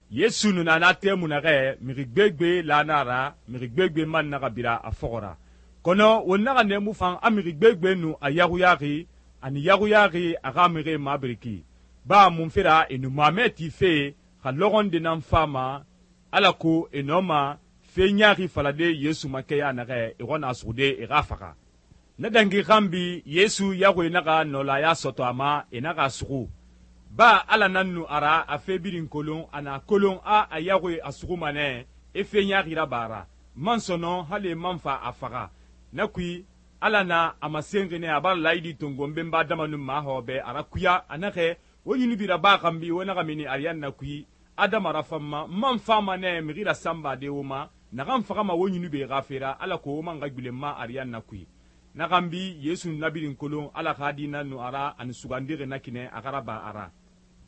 Yesu nu na na tɛmui naxɛ mixi gbegbe la na a ra, mixi gbegbe man naxa bira a fɔxɔ ra. Kɔnɔ won naxa nɛɛmu fan a mixi gbegbe nu a yaxuyaxi, ani yaxuyaxi a xa mixie mabiriki. Ba munfe ra e nu mamɛ tife xa lɔxɔ nde nan fama alako e nɔma fe ɲaaxi falade Yesu makɛya naxɛ e xɔna suxude e xa faxa. Na dangi xanbi Yesu yaxuie naxa nɔlaya sɔtɔ a ma, e naxa suxu. Ba Ala nan nu a ra a fe birin kolon, a na kolon a yaxuie a suxuma nɛ e fe ɲaaxi raba a ra. Man sɔnɔn hali man fa a faxa. Na kui Ala na a masenxi nɛ a bara laayidi tongo benba dama nun maxɔbɛ a rakuya a naxɛ wo yunubi raba xanbi wo naxa mini ariyanna kui adama rafanma man fama nɛ mixi rasanbade wo ma naxan faxama wo yunubi xa fe ra alako wo man xa gbilenma ariyanna kui. Na xanbi Yesu na birin kolon Ala xa di nan nu a ra ani sugandixi na kinɛ a xa raba a ra.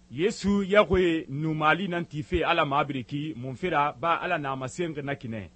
Yesu yaxuie nu mali nan tife Ala mabiriki munfe ra ba Ala na a masenxi na kinɛ.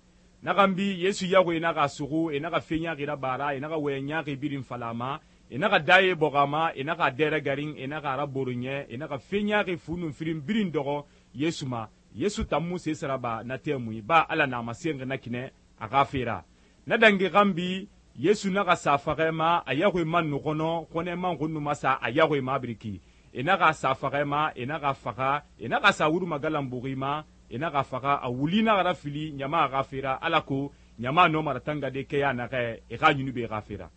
Na xanbi Yesu yaxuie naxa suxu, e naxa fe ɲaaxi raba a ra, e naxa wɔyɛ ɲaaxi birin fala a ma, e naxa daye bɔxɔ a ma, e naxa a dɛrɛ garin, e naxa a raboro ɲɛ, e naxa fe ɲaaxi fu nun firin birin dɔxɔ Yesu ma. Yesu tan mu sese raba na tɛmui ba Ala na a masenxi na kinɛ a xa fe ra. Na dangi xanbi Yesu naxa sa faxɛ ma, a yaxuie man nu xɔnɔ, xɔnɛ man xun nu ma sa a yaxuie mabiriki. E naxa sa faxɛ ma, e naxa faxa, e naxa sa wurumagalanbuxi ma, e naxa faxa, a wuli naxa rafili ɲama xa fe ra alako ɲama nɔma ratangade kɛya naxɛ e xa yunubi xa fe ra.